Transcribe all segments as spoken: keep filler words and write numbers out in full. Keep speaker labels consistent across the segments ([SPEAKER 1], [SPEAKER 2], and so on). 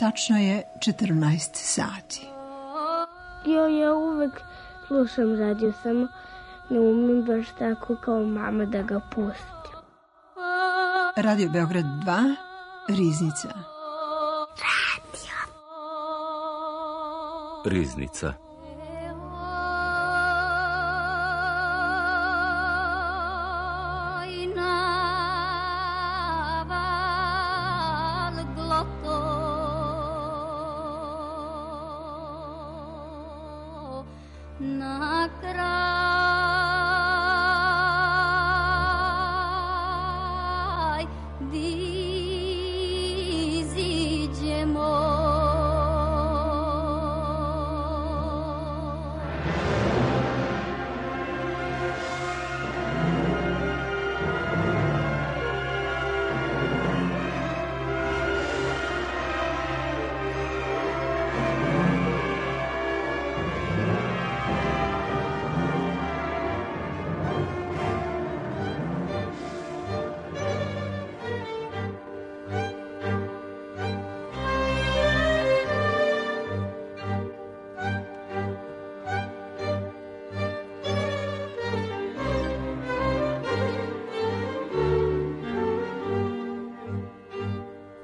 [SPEAKER 1] Tačno je četrnaest sati.
[SPEAKER 2] Jo, ja uvek slušam radio, samo ne umem baš tako kao mama da ga pustim.
[SPEAKER 1] Radio Beograd dva, Riznica.
[SPEAKER 2] Radio.
[SPEAKER 3] Riznica.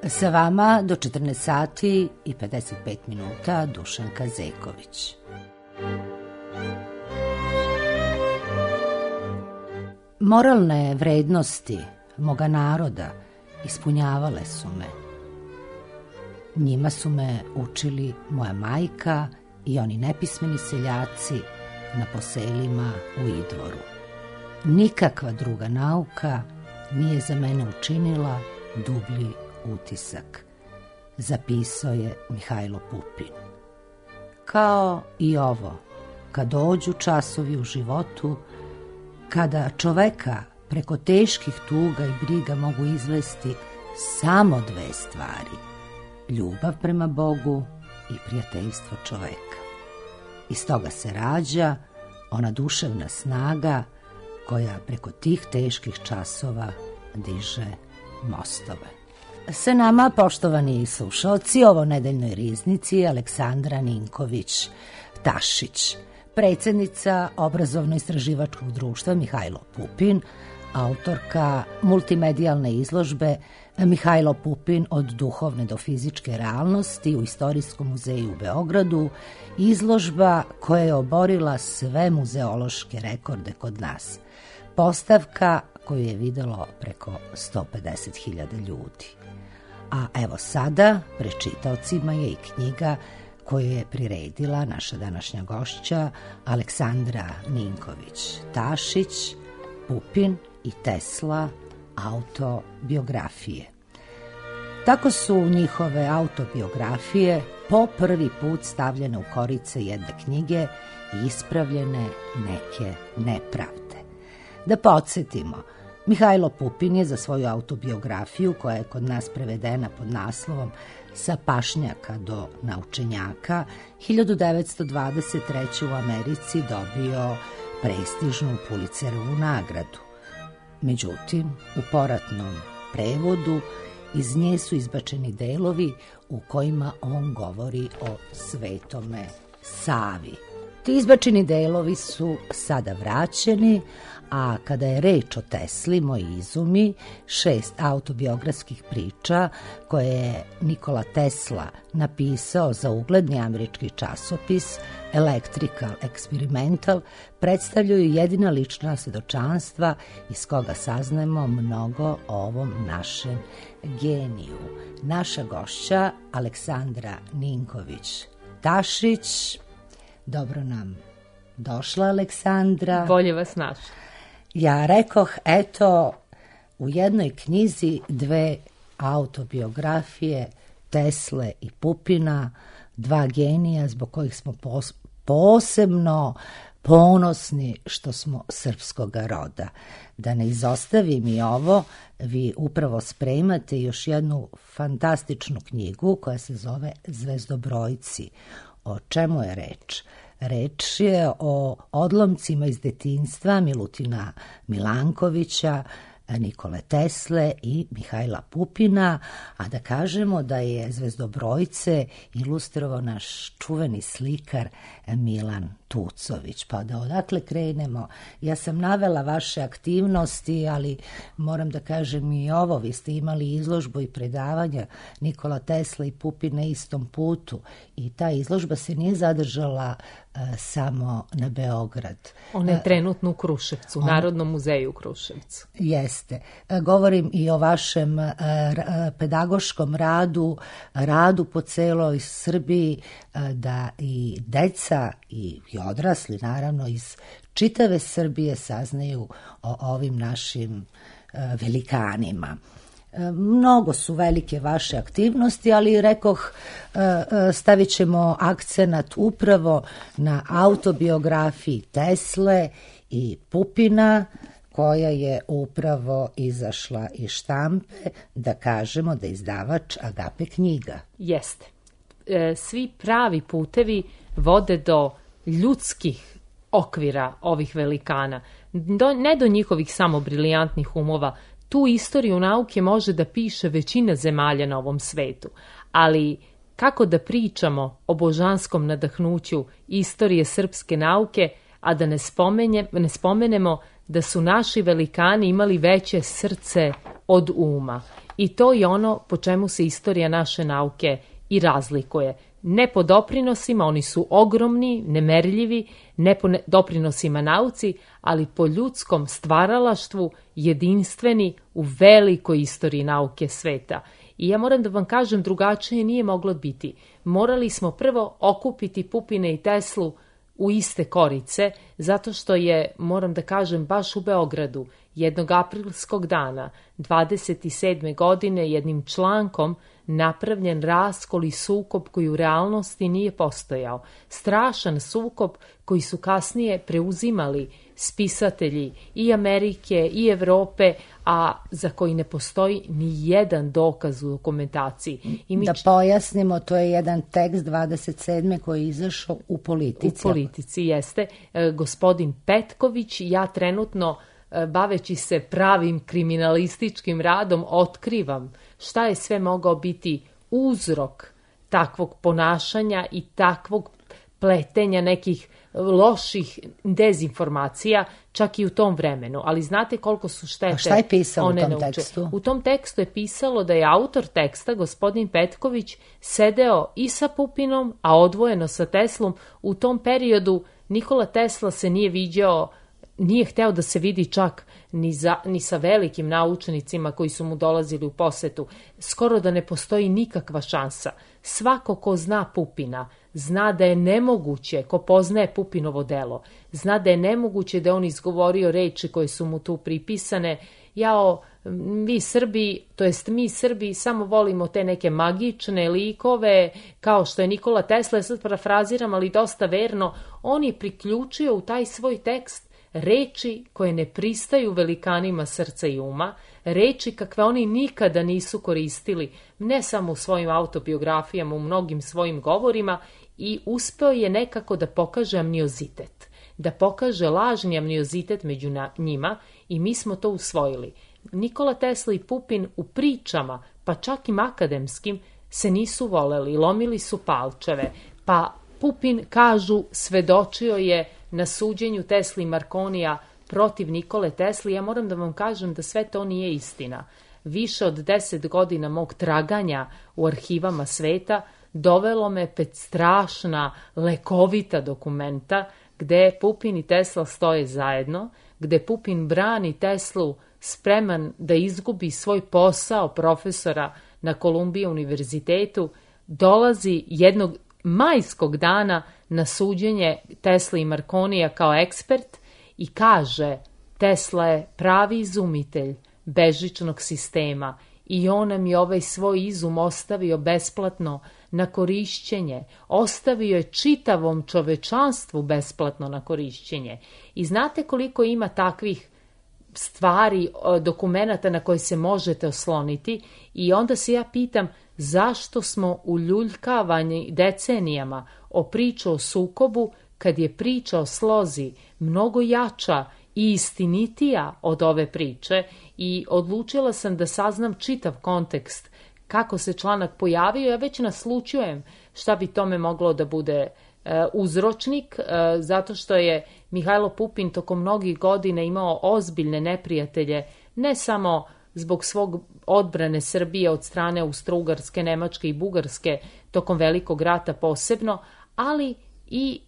[SPEAKER 4] Sa vama do četrnaest sati i pedeset pet minuta Dušanka Zeković. Moralne vrednosti moga naroda ispunjavale su me. Njima su me učili moja majka i oni nepismeni seljaci na poselima u Idvoru. Nikakva druga nauka nije za mene učinila dublji utisak, zapisao je Mihajlo Pupin. Kao i ovo, kad dođu časovi u životu, kada čoveka preko teških tuga i briga mogu izvesti samo dve stvari, ljubav prema Bogu i prijateljstvo čoveka. Iz toga se rađa ona duševna snaga koja preko tih teških časova diže mostove. Sa nama, poštovani slušalci, ovo nedeljnoj riznici Aleksandra Ninković Tašić, predsjednica obrazovno-istraživačkog društva Mihajlo Pupin, autorka multimedijalne izložbe Mihajlo Pupin od duhovne do fizičke realnosti u Istorijskom muzeju u Beogradu, izložba koja je oborila sve muzeološke rekorde kod nas. Postavka koju je videlo preko sto pedeset hiljada ljudi. A evo sada, pred čitaocima je i knjiga koju je priredila naša današnja gošća Aleksandra Ninković Tašić, Pupin i Tesla, autobiografije. Tako su njihove autobiografije po prvi put stavljene u korice jedne knjige i ispravljene neke nepravde. Da podsjetimo, Mihajlo Pupin je za svoju autobiografiju, koja je kod nas prevedena pod naslovom Sa pašnjaka do naučenjaka, hiljadu devetsto dvadeset treće. u Americi dobio prestižnu Pulitzerovu nagradu. Međutim, u poratnom prevodu iz nje su izbačeni delovi u kojima on govori o Svetome Savi. Ti izbačeni delovi su sada vraćeni, a kada je reč o Tesli, Moji izumi, šest autobiografskih priča koje je Nikola Tesla napisao za ugledni američki časopis Electrical Experimental, predstavljaju jedina lična svedočanstva iz koga saznajemo mnogo o ovom našem geniju. Naša gošća Aleksandra Ninković Tašić, dobro nam došla, Aleksandra.
[SPEAKER 5] Bolje vas našla.
[SPEAKER 4] Ja rekoh, eto, u jednoj knjizi dve autobiografije Tesle i Pupina, dva genija zbog kojih smo pos- posebno ponosni što smo srpskoga roda. Da ne izostavim i ovo, vi upravo spremate još jednu fantastičnu knjigu koja se zove Zvezdobrojci. O čemu je reč? Reč je o odlomcima iz detinjstva Milutina Milankovića, Nikole Tesle i Mihajla Pupina, a da kažemo da je zvezdobrojce ilustrovao naš čuveni slikar Milan Tucović. Pa da odakle krenemo? Ja sam navela vaše aktivnosti, ali moram da kažem i ovo. Vi ste imali izložbu i predavanja Nikola Tesla i Pupin na istom putu i ta izložba se nije zadržala uh, samo na Beograd.
[SPEAKER 3] Ona je trenutno u Kruševcu, u On... Narodnom muzeju u Kruševcu.
[SPEAKER 4] Jeste. Govorim i o vašem uh, pedagoškom radu, radu po celoj Srbiji, uh, da i deca i, i odrasli, naravno, iz čitave Srbije saznaju o ovim našim uh, velikanima. Mnogo su velike vaše aktivnosti, ali rekoh stavit ćemo akcenat upravo na autobiografiji Tesle i Pupina, koja je upravo izašla iz štampe, da kažemo da je izdavač Agape knjiga.
[SPEAKER 3] Jeste. E, svi pravi putevi vode do ljudskih okvira ovih velikana, do, ne do njihovih samo brilijantnih umova. Tu istoriju nauke može da piše većina zemalja na ovom svetu, ali kako da pričamo o božanskom nadahnuću istorije srpske nauke, a da ne, spomenje, ne spomenemo da su naši velikani imali veće srce od uma. I to je ono po čemu se istorija naše nauke i razlikuje. Ne po doprinosima, oni su ogromni, nemerljivi, ne po doprinosima nauci, ali po ljudskom stvaralaštvu, jedinstveni u velikoj istoriji nauke sveta. I ja moram da vam kažem, drugačije nije moglo biti. Morali smo prvo okupiti Pupina i Teslu u iste korice, zato što je, moram da kažem, baš u Beogradu, jednog aprilskog dana, dvadeset sedme godine, jednim člankom napravljen raskol i sukob koji u realnosti nije postojao. Strašan sukob koji su kasnije preuzimali spisatelji i Amerike i Evrope, a za koji ne postoji ni jedan dokaz u dokumentaciji. I mi
[SPEAKER 4] da pojasnimo, to je jedan tekst dvadeset sedme koji je izašao u Politici.
[SPEAKER 3] U Politici, jeste. E, gospodin Petković, ja trenutno, e, baveći se pravim kriminalističkim radom, otkrivam šta je sve mogao biti uzrok takvog ponašanja i takvog pletenja nekih loših dezinformacija, čak i u tom vremenu. Ali znate koliko su štete.
[SPEAKER 4] A šta je pisalo
[SPEAKER 3] one
[SPEAKER 4] u tom
[SPEAKER 3] nauče.
[SPEAKER 4] tekstu?
[SPEAKER 3] U tom tekstu je pisalo da je autor teksta, gospodin Petković, sedeo i sa Pupinom, a odvojeno sa Teslom. U tom periodu Nikola Tesla se nije viđao, nije hteo da se vidi čak ni, za, ni sa velikim naučnicima koji su mu dolazili u posetu. Skoro da ne postoji nikakva šansa. Svako ko zna Pupina, zna da je nemoguće, ko poznaje Pupinovo delo, zna da je nemoguće da on izgovorio reči koje su mu tu pripisane. Jao, vi Srbi, to jest mi Srbi, samo volimo te neke magične likove, kao što je Nikola Tesla, sad parafraziram, ali dosta verno, on je priključio u taj svoj tekst reči koje ne pristaju velikanima srca i uma, reči kakve oni nikada nisu koristili, ne samo u svojim autobiografijama, u mnogim svojim govorima, i uspeo je nekako da pokaže amniozitet, da pokaže lažni amniozitet među njima, i mi smo to usvojili. Nikola Tesla i Pupin u pričama, pa čak i akademskim, se nisu voleli, lomili su palčeve, pa Pupin, kažu, svedočio je na suđenju Tesli i Markonija protiv Nikole Tesli. Ja moram da vam kažem da sve to nije istina. Više od deset godina mog traganja u arhivama sveta dovelo me pred strašna, lekovita dokumenta gde Pupin i Tesla stoje zajedno, gde Pupin brani Teslu spreman da izgubi svoj posao profesora na Kolumbiji univerzitetu, dolazi jednog majskog dana na suđenje Tesla i Markonija kao ekspert i kaže: Tesla je pravi izumitelj bežičnog sistema i on nam je ovaj svoj izum ostavio besplatno na korišćenje, ostavio je čitavom čovečanstvu besplatno na korišćenje. I znate koliko ima takvih stvari, dokumenata na koje se možete osloniti, i onda se ja pitam zašto smo uljuljkavani decenijama o priču o sukobu, kad je priča o slozi mnogo jača i istinitija od ove priče i odlučila sam da saznam čitav kontekst kako se članak pojavio. Ja već naslučujem šta bi tome moglo da bude e, uzročnik, e, zato što je Mihajlo Pupin tokom mnogih godina imao ozbiljne neprijatelje, ne samo zbog svog odbrane Srbije od strane Austro-Ugarske, Nemačke i Bugarske tokom Velikog rata posebno, ali i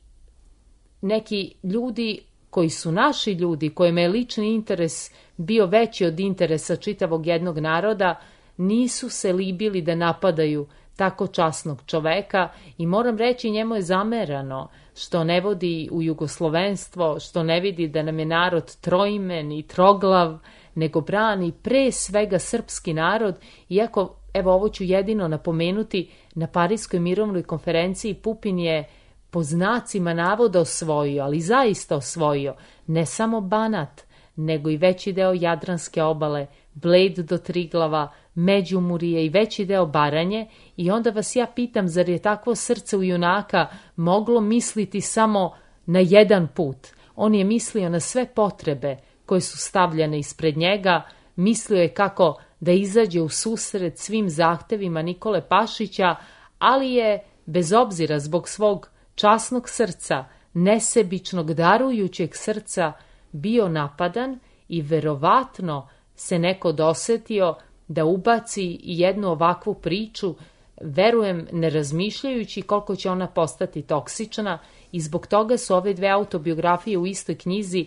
[SPEAKER 3] neki ljudi koji su naši ljudi, kojima je lični interes bio veći od interesa čitavog jednog naroda, nisu se libili da napadaju tako časnog čoveka i moram reći, njemu je zamerano što ne vodi u jugoslovenstvo, što ne vidi da nam je narod troimen i troglav, nego brani pre svega srpski narod, iako, evo ovo ću jedino napomenuti, na Pariskoj mirovnoj konferenciji Pupin je po znacima navoda osvojio, ali zaista osvojio, ne samo Banat, nego i veći deo Jadranske obale, Bled do Triglava, Međumurije i veći deo Baranje, i onda vas ja pitam, zar je takvo srce u junaka moglo misliti samo na jedan put? On je mislio na sve potrebe koje su stavljene ispred njega, mislio je kako da izađe u susret svim zahtevima Nikole Pašića, ali je, bez obzira zbog svog časnog srca, nesebičnog, darujućeg srca, bio napadan i verovatno se neko dosetio da ubaci jednu ovakvu priču, verujem ne razmišljajući koliko će ona postati toksična, i zbog toga su ove dve autobiografije u istoj knjizi.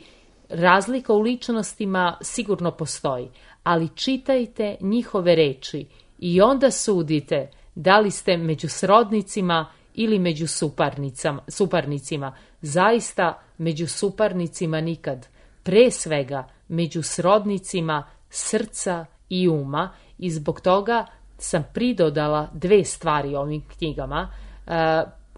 [SPEAKER 3] Razlika u ličnostima sigurno postoji, ali čitajte njihove reči i onda sudite da li ste među srodnicima ili među suparnicima. Zaista među suparnicima nikad. Pre svega među srodnicima srca i uma, i zbog toga sam pridodala dve stvari ovim knjigama.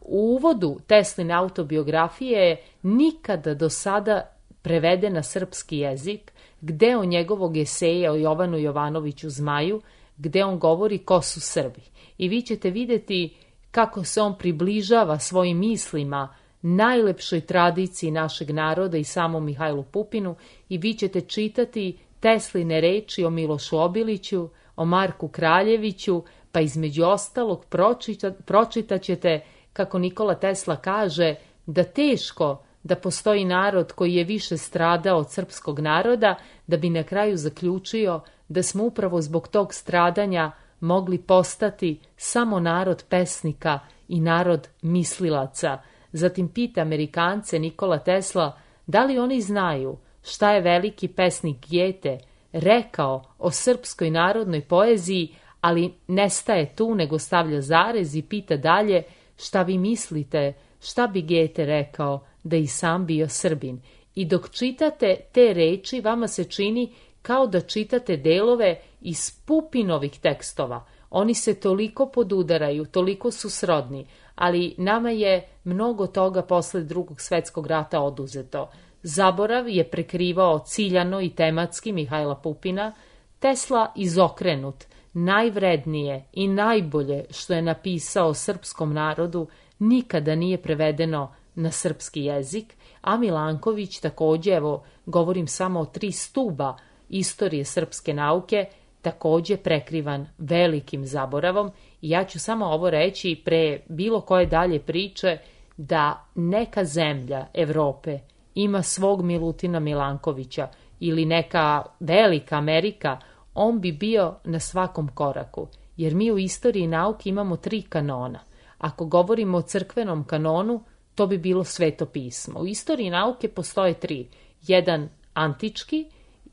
[SPEAKER 3] U uvodu Tesline autobiografije je nikada do sada preveden na srpski jezik, gde on njegovog eseja o Jovanu Jovanoviću Zmaju, gde on govori ko su Srbi. I vi ćete vidjeti kako se on približava svojim mislima najlepšoj tradiciji našeg naroda i samom Mihajlu Pupinu, i vi ćete čitati Tesline reči o Milošu Obiliću, o Marku Kraljeviću, pa između ostalog pročita, pročitat ćete kako Nikola Tesla kaže da teško da postoji narod koji je više stradao od srpskog naroda, da bi na kraju zaključio da smo upravo zbog tog stradanja mogli postati samo narod pesnika i narod mislilaca. Zatim pita Amerikance Nikola Tesla da li oni znaju šta je veliki pesnik Gete rekao o srpskoj narodnoj poeziji, ali ne staje tu nego stavlja zarez i pita dalje šta vi mislite šta bi Gete rekao da i sam bio Srbin. I dok čitate te reči, vama se čini kao da čitate delove iz Pupinovih tekstova. Oni se toliko podudaraju, toliko su srodni, ali nama je mnogo toga posle Drugog svetskog rata oduzeto. Zaborav je prekrivao ciljano i tematski Mihajla Pupina, Tesla izokrenut, najvrednije i najbolje što je napisao o srpskom narodu nikada nije prevedeno na srpski jezik, a Milanković takođe, evo govorim samo o tri stuba istorije srpske nauke, takođe prekrivan velikim zaboravom. I ja ću samo ovo reći pre bilo koje dalje priče, da neka zemlja Evrope ima svog Milutina Milankovića ili neka velika Amerika, on bi bio na svakom koraku, jer mi u istoriji nauke imamo tri kanona. Ako govorimo o crkvenom kanonu, to bi bilo Sveto pismo. U istoriji nauke postoje tri. Jedan antički,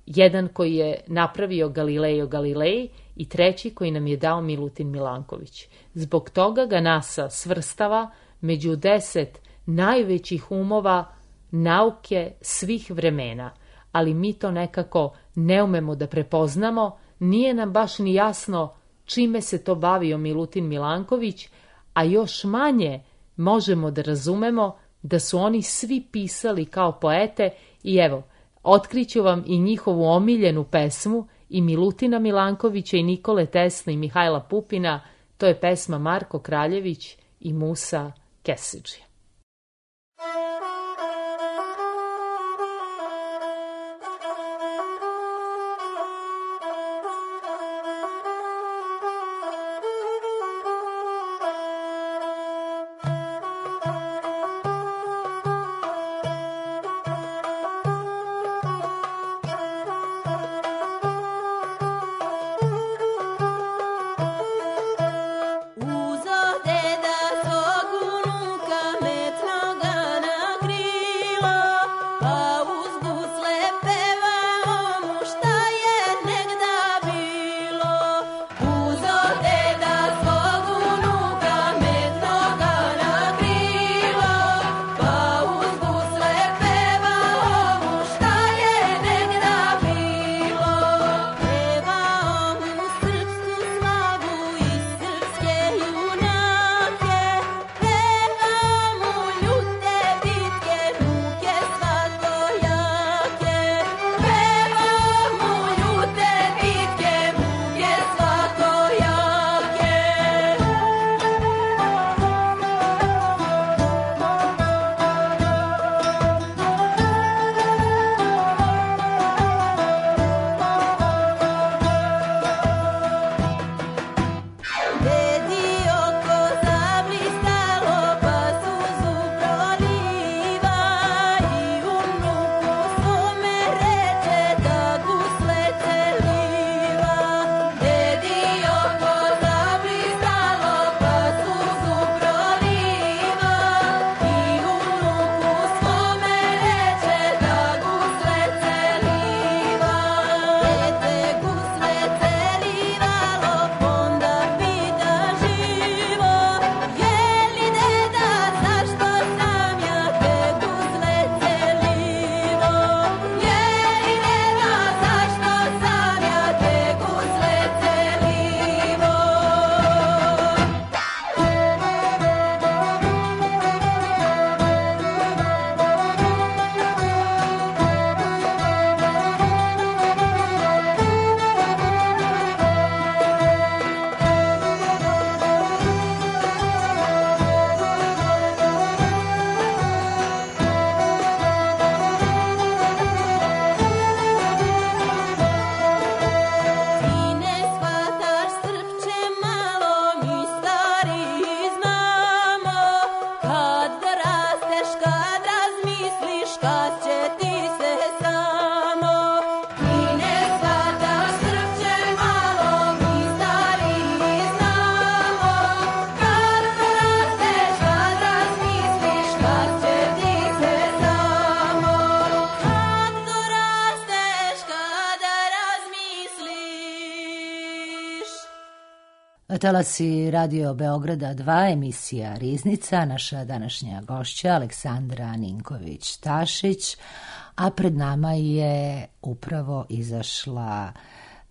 [SPEAKER 3] jedan koji je napravio Galileo Galilei i treći koji nam je dao Milutin Milanković. Zbog toga ga NASA svrstava među deset najvećih umova nauke svih vremena, ali mi to nekako ne umemo da prepoznamo, nije nam baš ni jasno čime se to bavio Milutin Milanković, a još manje možemo da razumemo da su oni svi pisali kao poete. I evo, otkriću vam i njihovu omiljenu pesmu i Milutina Milankovića i Nikole Tesle i Mihajla Pupina, to je pesma Marko Kraljević i Musa Kesidžija.
[SPEAKER 4] Talasi Radio Beograda dva, emisija Riznica, naša današnja gošća Aleksandra Ninković-Tašić, a pred nama je upravo izašla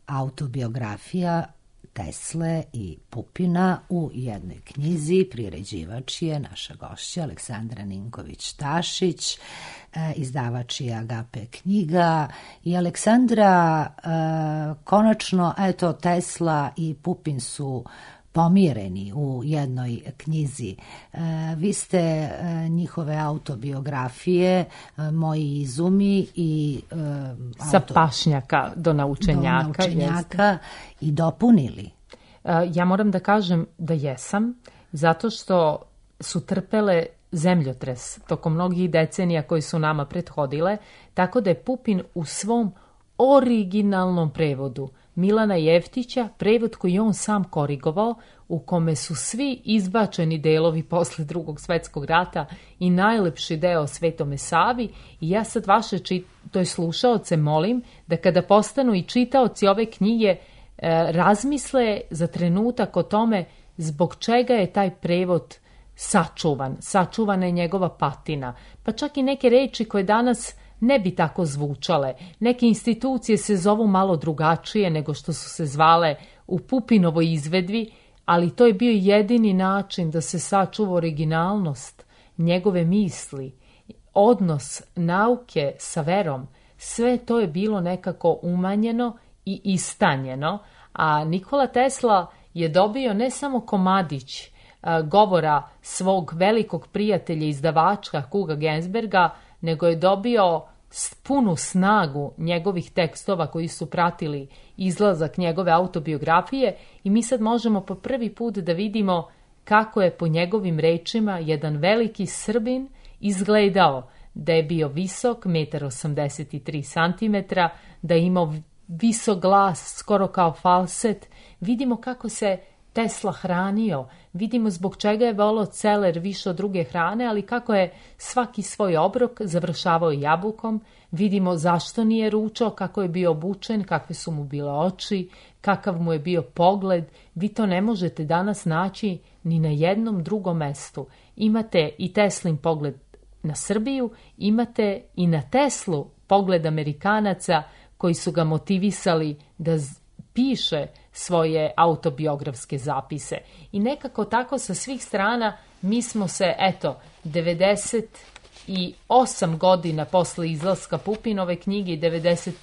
[SPEAKER 4] autobiografija Tesle i Pupina u jednoj knjizi. Priređivač je naša gošća Aleksandra Ninković-Tašić, izdavač je Agape knjiga. I Aleksandra, konačno, eto, Tesla i Pupin su pomireni u jednoj knjizi. Vi ste njihove autobiografije, Moji izumi i
[SPEAKER 3] auto... sa pašnjaka do naučenjaka,
[SPEAKER 4] do naučenjaka i dopunili.
[SPEAKER 3] Ja moram da kažem da jesam, zato što su trpele zemljotres tokom mnogih decenija koji su nama prethodile, tako da je Pupin u svom originalnom prevodu Milana Jeftića, prevod koji on sam korigovao, u kome su svi izbačeni delovi posle Drugog svetskog rata i najlepši deo Svetome Savi. I ja sad vaše čit... to je slušaoce molim da kada postanu i čitaoci ove knjige e, razmisle za trenutak o tome zbog čega je taj prevod sačuvan. Sačuvana je njegova patina. Pa čak i neke reči koje danas ne bi tako zvučale. Neke institucije se zovu malo drugačije nego što su se zvale u Pupinovoj izvedbi, ali to je bio jedini način da se sačuva originalnost njegove misli, odnos nauke sa verom. Sve to je bilo nekako umanjeno i istanjeno, a Nikola Tesla je dobio ne samo komadić a, govora svog velikog prijatelja izdavača Huga Gensberga, nego je dobio punu snagu njegovih tekstova koji su pratili izlazak njegove autobiografije i mi sad možemo po prvi put da vidimo kako je po njegovim rečima jedan veliki Srbin izgledao, da je bio visok, jedan osamdeset tri centimetra, da je imao visok glas, skoro kao falset. Vidimo kako se Tesla hranio, vidimo zbog čega je volao celer više od druge hrane, ali kako je svaki svoj obrok završavao jabukom, vidimo zašto nije ručao, kako je bio obučen, kakve su mu bile oči, kakav mu je bio pogled. Vi to ne možete danas naći ni na jednom drugom mestu. Imate i Teslin pogled na Srbiju, imate i na Teslu pogled Amerikanaca koji su ga motivisali da piše svoje autobiografske zapise. I nekako tako sa svih strana mi smo se, eto, devedeset osam godina posle izlaska Pupinove knjige i devedeset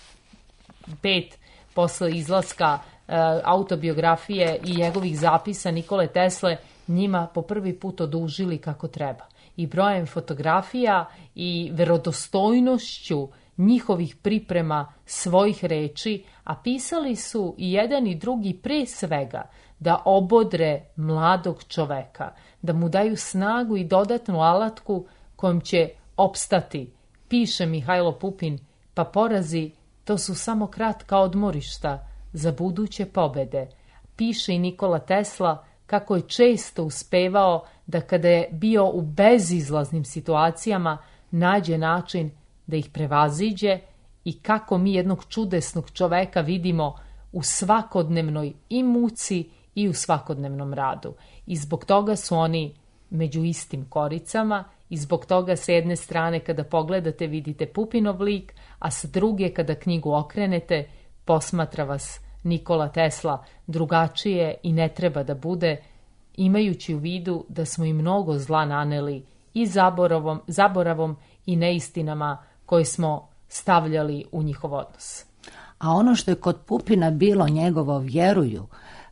[SPEAKER 3] pet posle izlaska e, autobiografije i njegovih zapisa Nikole Tesle njima po prvi put odužili kako treba. I brojem fotografija i verodostojnošću njihovih priprema svojih reči, a pisali su i jedan i drugi pre svega da obodre mladog čoveka, da mu daju snagu i dodatnu alatku kojom će opstati. Piše Mihajlo Pupin, pa porazi to su samo kratka odmorišta za buduće pobede. Piše i Nikola Tesla kako je često uspevao da kada je bio u bezizlaznim situacijama nađe način da ih prevaziđe i kako mi jednog čudesnog čoveka vidimo u svakodnevnoj i muci i u svakodnevnom radu. I zbog toga su oni među istim koricama i zbog toga sa jedne strane kada pogledate vidite Pupinov lik, a sa druge kada knjigu okrenete posmatra vas Nikola Tesla drugačije i ne treba da bude, imajući u vidu da smo i mnogo zla naneli i zaboravom, zaboravom i neistinama koje smo stavljali u njihov odnos.
[SPEAKER 4] A ono što je kod Pupina bilo njegovo vjeruju,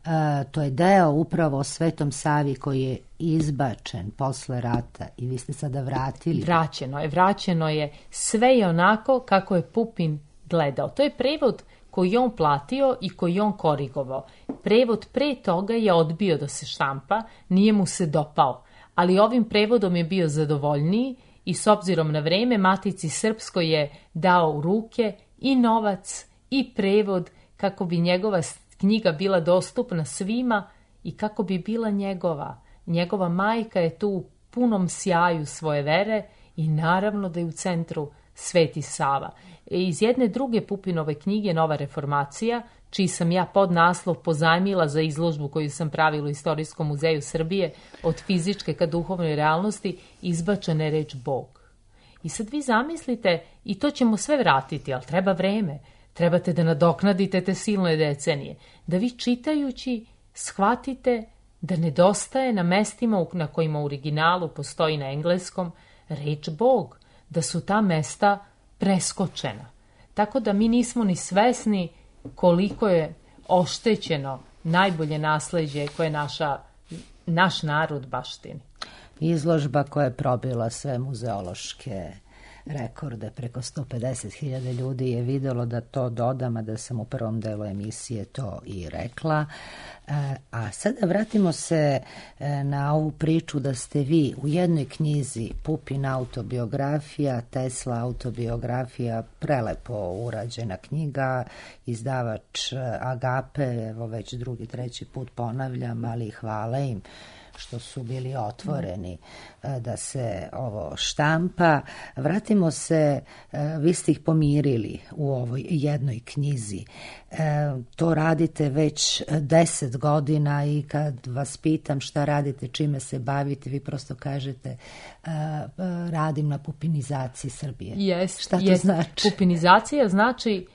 [SPEAKER 4] e, to je deo upravo o Svetom Savi koji je izbačen posle rata i vi ste sada vratili.
[SPEAKER 3] Vraćeno je, vraćeno je. Sve je onako kako je Pupin gledao. To je prevod koji je on platio i koji je on korigovao. Prevod pre toga je odbio da se štampa, nije mu se dopao, ali ovim prevodom je bio zadovoljniji i s obzirom na vreme Matici Srpskoj je dao u ruke i novac i prevod kako bi njegova knjiga bila dostupna svima i kako bi bila njegova. Njegova majka je tu u punom sjaju svoje vere i naravno da je u centru Sveti Sava. Iz jedne druge Pupinove knjige Nova reformacija, čiji sam ja podnaslov pozajmila za izložbu koju sam pravila u Istorijskom muzeju Srbije, od fizičke ka duhovnoj realnosti, izbačena je reč Bog. I sad vi zamislite, i to ćemo sve vratiti, ali treba vreme. Trebate da nadoknadite te silne decenije. Da vi čitajući shvatite da nedostaje na mestima na kojima u originalu postoji na engleskom reč Bog, da su ta mesta preskočena. Tako da mi nismo ni svesni koliko je oštećeno najbolje nasleđe koje naša, naš narod baštini.
[SPEAKER 4] Izložba koja je probila sve muzeološke rekorde, preko sto pedeset hiljada ljudi je videlo, da to dodam, a da sam u prvom delu emisije to i rekla. A sada vratimo se na ovu priču da ste vi u jednoj knjizi, Pupin autobiografija, Tesla autobiografija, prelepo urađena knjiga, izdavač Agape, evo već drugi, treći put ponavljam, ali hvala im što su bili otvoreni da se ovo štampa. Vratimo se, vi ste ih pomirili u ovoj jednoj knjizi. To radite već deset godina i kad vas pitam šta radite, čime se bavite, vi prosto kažete radim na pupinizaciji Srbije.
[SPEAKER 3] Jest,
[SPEAKER 4] šta to
[SPEAKER 3] jest.
[SPEAKER 4] Znači?
[SPEAKER 3] Pupinizacija znači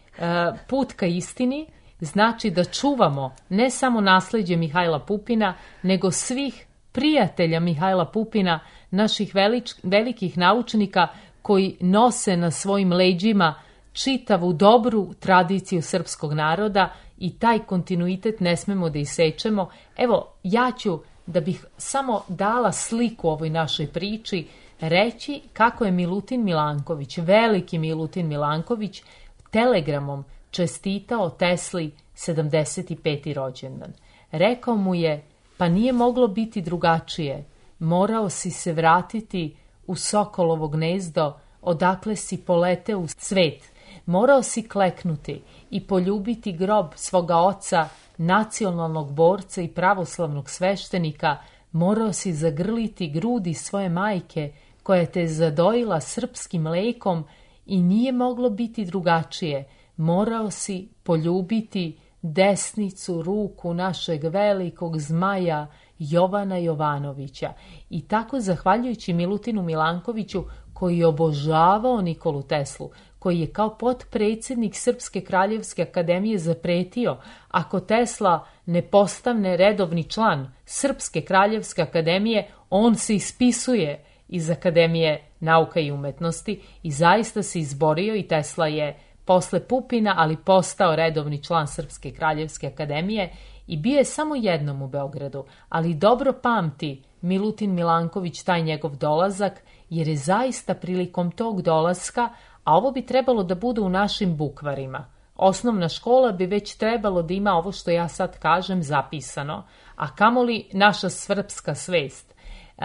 [SPEAKER 3] put ka istini, znači da čuvamo ne samo nasleđe Mihajla Pupina, nego svih prijatelja Mihajla Pupina, naših velič, velikih naučnika koji nose na svojim leđima čitavu dobru tradiciju srpskog naroda i taj kontinuitet ne smemo da isečemo. Evo, ja ću, da bih samo dala sliku ovoj našoj priči, reći kako je Milutin Milanković, veliki Milutin Milanković, telegramom čestitao Tesli sedamdeset peti rođendan. Rekao mu je: pa nije moglo biti drugačije, morao si se vratiti u Sokolovo gnezdo, odakle si poleteo u svet. Morao si kleknuti i poljubiti grob svoga oca, nacionalnog borca i pravoslavnog sveštenika. Morao si zagrliti grudi svoje majke, koja te zadojila srpskim mlekom, i nije moglo biti drugačije. Morao si poljubiti desnicu ruku našeg velikog zmaja Jovana Jovanovića. I tako, zahvaljujući Milutinu Milankoviću, koji je obožavao Nikolu Teslu, koji je kao potpredsjednik Srpske kraljevske akademije zapretio, ako Tesla ne postane redovni član Srpske kraljevske akademije, on se ispisuje iz Akademije nauka i umetnosti, i zaista se izborio i Tesla je posle Pupina, ali postao redovni član Srpske kraljevske akademije i bio je samo jednom u Beogradu, ali dobro pamti Milutin Milanković taj njegov dolazak, jer je zaista prilikom tog dolaska, a ovo bi trebalo da bude u našim bukvarima, osnovna škola bi već trebalo da ima ovo što ja sad kažem zapisano, a kamoli naša srpska svest. Uh,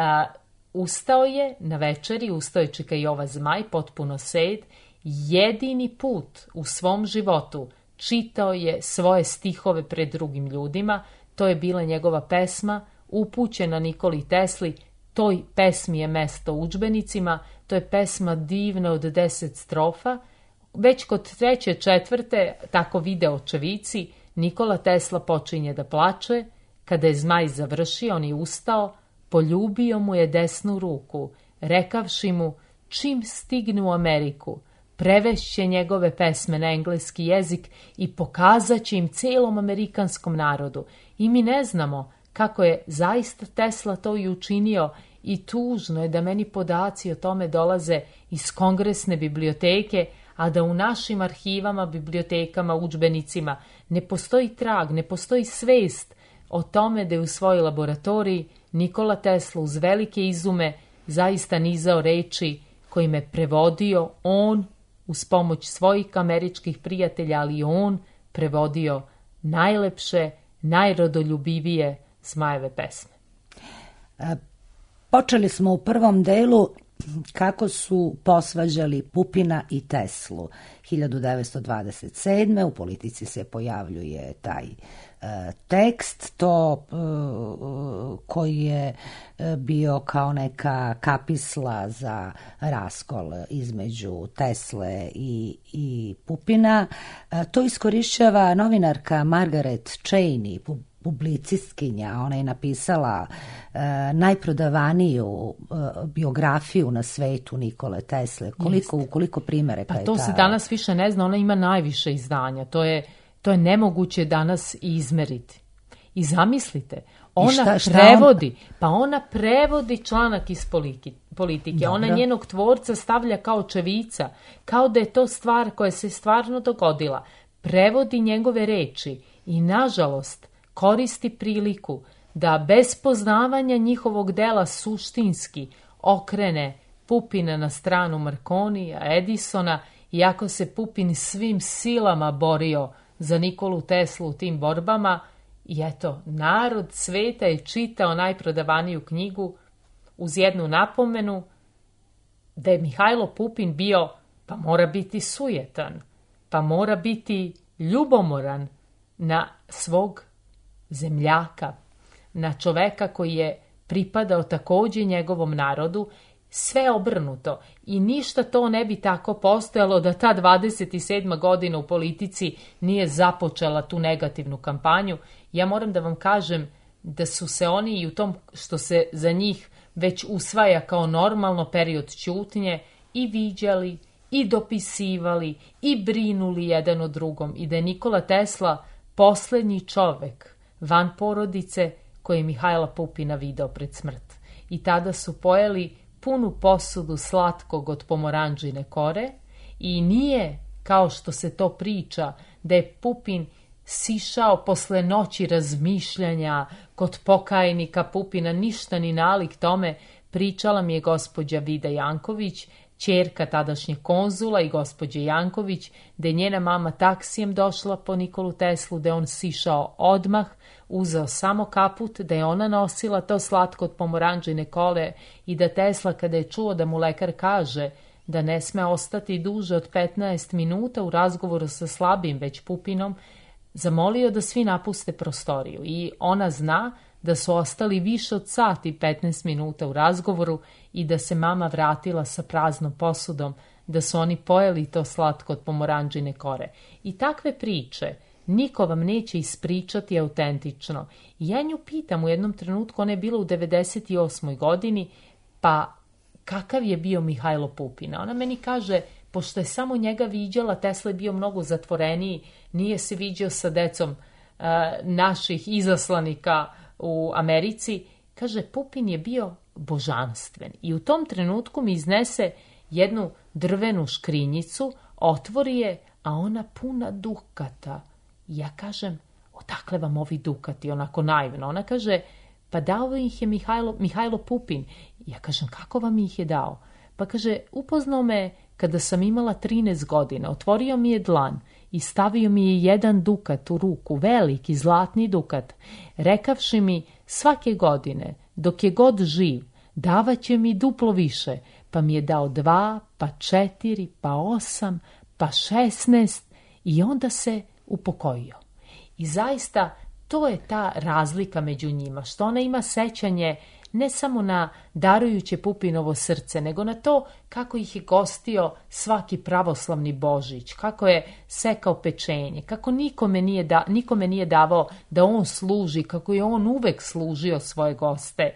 [SPEAKER 3] ustao je na večeri, ustao je Čika Jova Zmaj, potpuno sed, jedini put u svom životu čitao je svoje stihove pred drugim ljudima. To je bila njegova pesma upućena Nikoli Tesli. Toj pesmi je mesto u udžbenicima. To je pesma divna od deset strofa. Već kod treće, četvrte, tako vide očevici, Nikola Tesla počinje da plače. Kada je Zmaj završio, on je ustao, poljubio mu je desnu ruku, rekavši mu: čim stigne u Ameriku, prevešće njegove pesme na engleski jezik i pokazat će im celom amerikanskom narodu. I mi ne znamo kako je zaista Tesla to i učinio, i tužno je da meni podaci o tome dolaze iz Kongresne biblioteke, a da u našim arhivama, bibliotekama, udžbenicima ne postoji trag, ne postoji svest o tome da je u svojoj laboratoriji Nikola Tesla uz velike izume zaista nizao reči kojim je prevodio on uz pomoć svojih američkih prijatelja, ali on prevodio najlepše, najrodoljubivije Zmajeve pesme.
[SPEAKER 4] Počeli smo u prvom delu kako su posvađali Pupina i Teslu. hiljadu devetsto dvadeset sedme u Politici se pojavljuje taj e, tekst, to e, koji je bio kao neka kapisla za raskol između Tesle i, i Pupina. E, to iskorišćava novinarka Margaret Cheney, publicistkinja. Ona je napisala e, najprodavaniju e, biografiju na svetu Nikole Tesle. Koliko, u koliko primeraka
[SPEAKER 3] pa
[SPEAKER 4] je
[SPEAKER 3] to
[SPEAKER 4] ta...
[SPEAKER 3] se danas više ne zna, ona ima najviše izdanja. To je, to je nemoguće danas izmeriti. I zamislite, ona šta, šta prevodi, on... pa ona prevodi članak iz politike. politike. Ona njenog tvorca stavlja kao čevica, kao da je to stvar koja se stvarno dogodila. Prevodi njegove reči i, nažalost, koristi priliku da bez poznavanja njihovog dela suštinski okrene Pupina na stranu Marconija, Edisona, iako se Pupin svim silama borio za Nikolu Teslu u tim borbama. I eto, narod sveta je čitao najprodavaniju knjigu uz jednu napomenu da je Mihajlo Pupin bio, pa mora biti sujetan, pa mora biti ljubomoran na svog zemljaka, na čoveka koji je pripadao također njegovom narodu, sve obrnuto. I ništa to ne bi tako postojalo da ta dvadeset sedma godina u politici nije započela tu negativnu kampanju. Ja moram da vam kažem da su se oni i u tom što se za njih već usvaja kao normalno period ćutnje i viđali i dopisivali i brinuli jedan o drugom i da je Nikola Tesla posljednji čovek van porodice koji je Mihajla Pupina video pred smrt. I tada su pojeli punu posudu slatkog od pomoranđine kore i nije, kao što se to priča, da je Pupin sišao posle noći razmišljanja kod pokajnika Pupina, ništa ni nalik tome. Pričala mi je gospođa Vida Janković, ćerka tadašnjeg konzula i gospođe Janković, da je njena mama taksijem došla po Nikolu Teslu, da je on sišao odmah, uzeo samo kaput, da je ona nosila to slatko od pomoranđine kole i da Tesla, kada je čuo da mu lekar kaže da ne sme ostati duže od petnaest minuta u razgovoru sa slabim već Pupinom, zamolio da svi napuste prostoriju. I ona zna da su ostali više od sat i petnaest minuta u razgovoru i da se mama vratila sa praznom posudom, da su oni pojeli to slatko od pomoranđine kore. I takve priče niko vam neće ispričati autentično. I ja nju pitam u jednom trenutku, ona je bila u devedeset osmoj godini, pa kakav je bio Mihajlo Pupin? Ona meni kaže, pošto je samo njega viđala, Tesla je bio mnogo zatvoreniji, nije se viđao sa decom uh, naših izaslanika u Americi. Kaže, Pupin je bio božanstven. I u tom trenutku mi iznese jednu drvenu škrinjicu, otvori je, a ona puna dukata. I ja kažem, odakle vam ovi dukati, onako naivno. Ona kaže, pa dao ih je Mihajlo, Mihajlo Pupin. I ja kažem, kako vam ih je dao? Pa kaže, upoznao me kada sam imala trinaest godina, otvorio mi je dlan i stavio mi je jedan dukat u ruku, veliki zlatni dukat, rekavši mi svake godine, dok je god živ, davaće mi duplo više, pa mi je dao dva, pa četiri, pa osam, pa šesnaest i onda se upokojio. I zaista to je ta razlika među njima, što ona ima sećanje ne samo na darujuće Pupinovo srce, nego na to kako ih je gostio svaki pravoslavni Božić, kako je sekao pečenje, kako nikome nije, da, nikome nije davao da on služi, kako je on uvek služio svoje goste.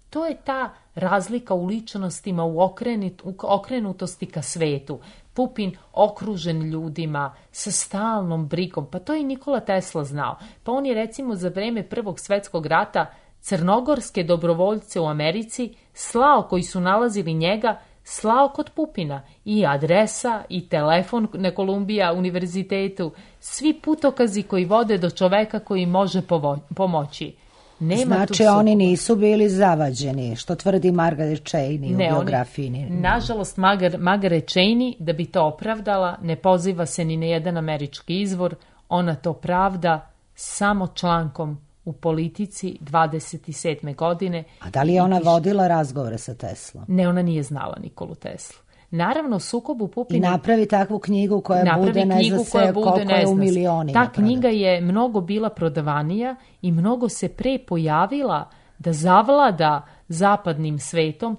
[SPEAKER 3] To je ta razlika u ličnostima, u, okrenit, u okrenutosti ka svetu. Pupin okružen ljudima, sa stalnom brigom, pa to je Nikola Tesla znao. Pa on je recimo za vreme Prvog svetskog rata crnogorske dobrovoljce u Americi slao, koji su nalazili njega, slao kod Pupina. I adresa, i telefon na Kolumbija univerzitetu, svi putokazi koji vode do čoveka koji može povo- pomoći. Nema
[SPEAKER 4] znači oni nisu bili zavađeni, što tvrdi Margaret Cheney u ne, biografiji.
[SPEAKER 3] Oni, nažalost, Margaret, Margaret Cheney, da bi to opravdala, ne poziva se ni na jedan američki izvor, ona to pravda samo člankom u politici dvadeset sedme godine.
[SPEAKER 4] A da li je ona vodila razgovore sa Teslom?
[SPEAKER 3] Ne, ona nije znala Nikolu Teslu. Naravno, sukobu Pupina...
[SPEAKER 4] I napravi takvu knjigu koja bude ne zna se koliko je u milionima.
[SPEAKER 3] Ta knjiga je mnogo bila prodavanija i mnogo se pre pojavila da zavlada zapadnim svetom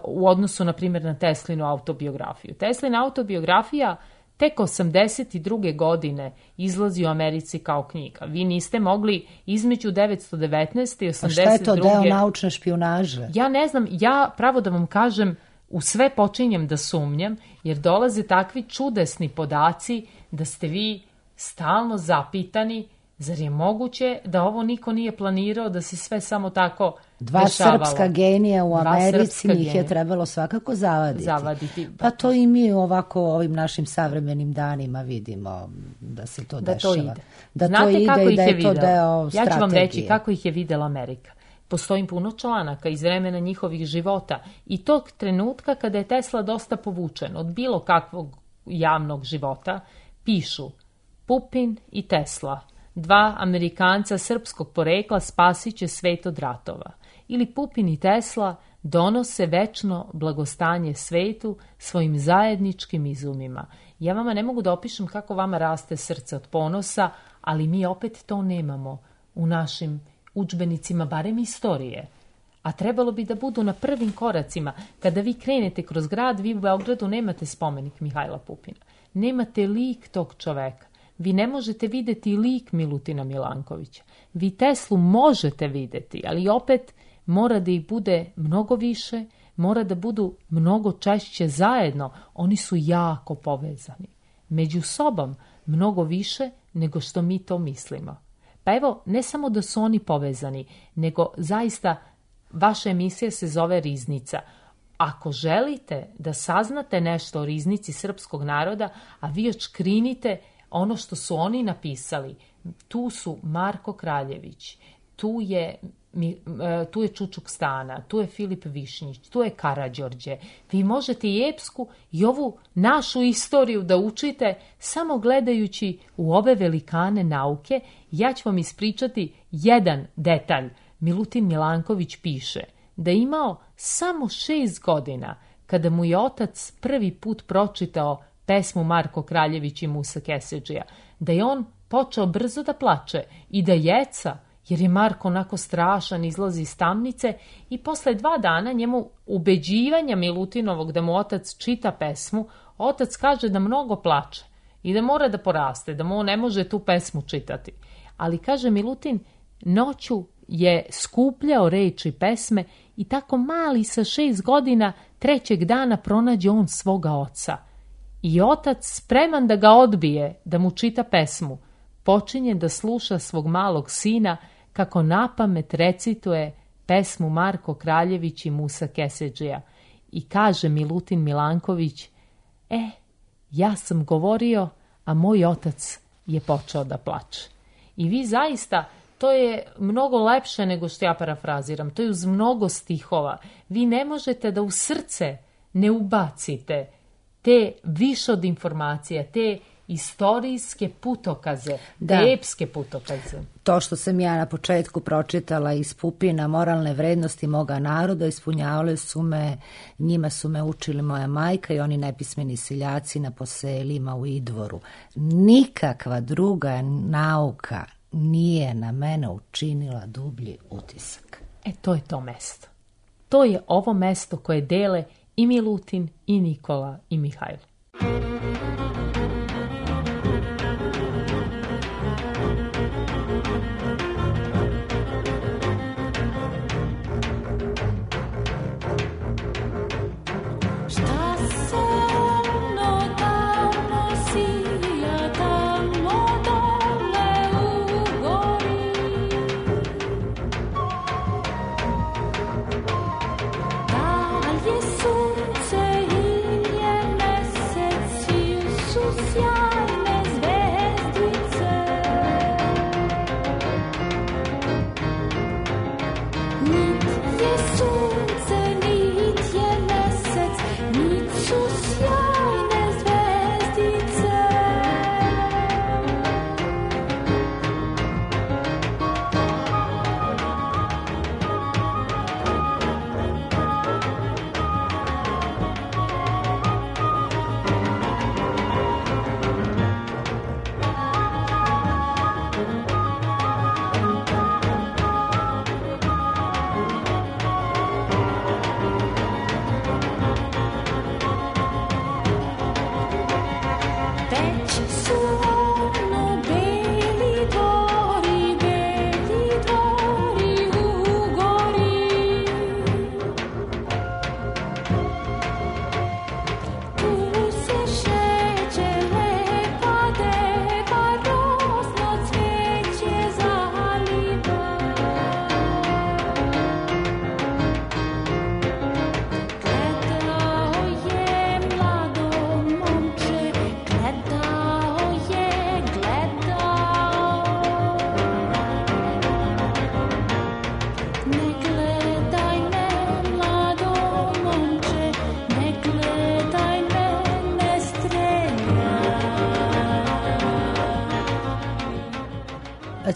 [SPEAKER 3] u odnosu, na primjer, na Teslinu autobiografiju. Teslina autobiografija tek osamdeset druge godine izlazi u Americi kao knjiga. Vi niste mogli između devetsto devetnaeste i osamdeset druge...
[SPEAKER 4] A šta je to, deo naučne špijunaže?
[SPEAKER 3] Ja ne znam, ja pravo da vam kažem, u sve počinjem da sumnjam, jer dolaze takvi čudesni podaci da ste vi stalno zapitani, zar je moguće da ovo niko nije planirao, da se sve samo tako
[SPEAKER 4] Dva
[SPEAKER 3] dešavalo?
[SPEAKER 4] Srpska genija u Americi, njih genija. Je trebalo svakako zavaditi.
[SPEAKER 3] Zavaditi.
[SPEAKER 4] Pa to i mi ovako ovim našim savremenim danima vidimo da se to
[SPEAKER 3] da
[SPEAKER 4] dešava.
[SPEAKER 3] To ide.
[SPEAKER 4] Da
[SPEAKER 3] Znate
[SPEAKER 4] to ide
[SPEAKER 3] kako
[SPEAKER 4] i
[SPEAKER 3] ih
[SPEAKER 4] da
[SPEAKER 3] je,
[SPEAKER 4] je to deo
[SPEAKER 3] ja
[SPEAKER 4] strategije.
[SPEAKER 3] ću vam reći kako ih je videla Amerika. Postoji puno članaka iz vremena njihovih života i tog trenutka kada je Tesla dosta povučen od bilo kakvog javnog života, pišu Pupin i Tesla, dva Amerikanca srpskog porekla spasit će svet od ratova. Ili Pupin i Tesla donose večno blagostanje svetu svojim zajedničkim izumima. Ja vama ne mogu da opišem kako vama raste srce od ponosa, ali mi opet to nemamo u našim udžbenicima, barem istorije. A trebalo bi da budu na prvim koracima. Kada vi krenete kroz grad, vi u Beogradu nemate spomenik Mihajla Pupina. Nemate lik tog čoveka. Vi ne možete videti lik Milutina Milankovića. Vi Teslu možete videti, ali opet mora da ih bude mnogo više, mora da budu mnogo češće zajedno. Oni su jako povezani. Među sobom mnogo više nego što mi to mislimo. Pa evo, ne samo da su oni povezani, nego zaista vaša emisija se zove Riznica. Ako želite da saznate nešto o riznici srpskog naroda, a vi očkrinite ono što su oni napisali, tu su Marko Kraljević, tu je, tu je Čučuk Stana, tu je Filip Višnjić, tu je Karađorđe. Vi možete i epsku i ovu našu istoriju da učite samo gledajući u ove velikane nauke. Ja ću vam ispričati jedan detalj. Milutin Milanković piše da je imao samo šest godina kada mu je otac prvi put pročitao pesmu Marko Kraljević i Musa Keseđija, da je on počeo brzo da plače i da jeca, jer je Marko onako strašan, izlazi iz tamnice i posle dva dana njemu ubeđivanja Milutinovog da mu otac čita pesmu, otac kaže da mnogo plače i da mora da poraste, da mu on ne može tu pesmu čitati. Ali kaže Milutin, noću je skupljao reči pesme i tako mali sa šest godina trećeg dana pronađe on svoga oca. I otac, spreman da ga odbije, da mu čita pesmu, počinje da sluša svog malog sina kako napamet recituje pesmu Marko Kraljević i Musa Keseđija. I kaže Milutin Milanković, e, ja sam govorio, a moj otac je počeo da plače. I vi zaista, to je mnogo lepše nego što ja parafraziram, to je uz mnogo stihova. Vi ne možete da u srce ne ubacite te više od informacija, te istorijske putokaze,
[SPEAKER 4] da.
[SPEAKER 3] Te epske putokaze.
[SPEAKER 4] To što sam ja na početku pročitala iz Pupina, moralne vrednosti moga naroda, ispunjavale su me, njima su me učili moja majka i oni nepismeni seljaci na poselima u Idvoru. Nikakva druga nauka nije na mene učinila dublji utisak.
[SPEAKER 3] E, to je to mesto. To je ovo mesto koje dele i Milutin, i Nikola, i Mihajlo.
[SPEAKER 5] Sunce i nje mesec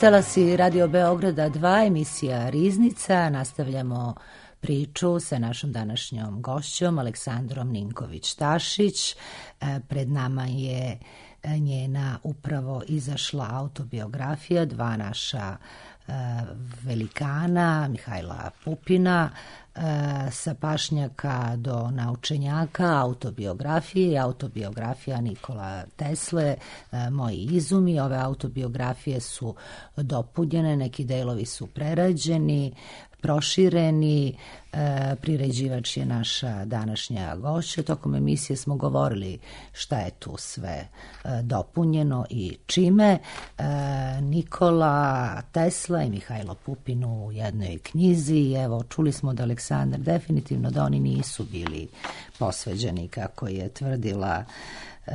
[SPEAKER 4] Talasi Radio Beograda dva, emisija Riznica. Nastavljamo priču sa našom današnjom gošćom Aleksandrom Ninković-Tašić. Pred nama je njena upravo izašla autobiografija, dva naša velikana, Mihajla Pupina, sa pašnjaka do naučenjaka, autobiografije i autobiografija Nikola Tesle, Moji izumi. Ove autobiografije su dopunjene, neki delovi su prerađeni, prošireni. E, priređivač je naša današnja gošća. Tokom emisije smo govorili šta je tu sve e, dopunjeno i čime. E, Nikola Tesla i Mihajlo Pupin u jednoj knjizi. Evo, čuli smo da Aleksandar definitivno da oni nisu bili posveđeni, kako je tvrdila e,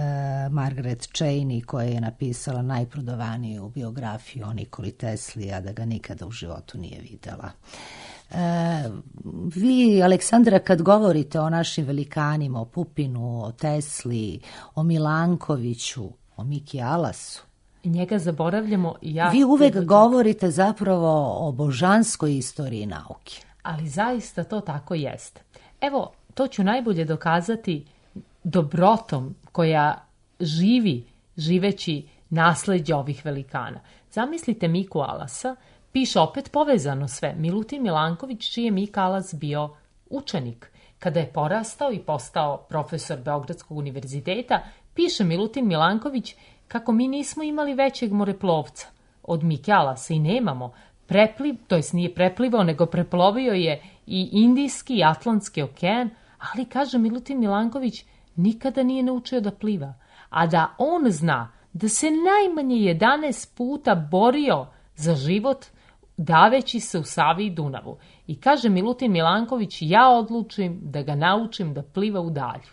[SPEAKER 4] Margaret Cheney, koja je napisala najprodavaniju biografiju o Nikoli Tesli, a da ga nikada u životu nije videla. E, vi, Aleksandra, kad govorite o našim velikanima, o Pupinu, o Tesli, o Milankoviću, o Miki Alasu,
[SPEAKER 3] njega zaboravljamo. Ja
[SPEAKER 4] vi uvek da... govorite zapravo o božanskoj istoriji nauke.
[SPEAKER 3] Ali zaista to tako jeste. Evo, to ću najbolje dokazati dobrotom koja živi, živeći nasleđe ovih velikana. Zamislite Miku Alasa, piše opet povezano sve. Milutin Milanković, čiji je Mika Alas bio učenik. Kada je porastao i postao profesor Beogradskog univerziteta, piše Milutin Milanković kako mi nismo imali većeg moreplovca od Mike Alasa i nemamo. Prepliv, to jest nije preplivao, nego preplovio je i Indijski i Atlantski okean, ali, kaže Milutin Milanković, nikada nije naučio da pliva. A da on zna da se najmanje jedanaest puta borio za život daveći se u Savi i Dunavu. I kaže Milutin Milanković, ja odlučim da ga naučim da pliva u dalju.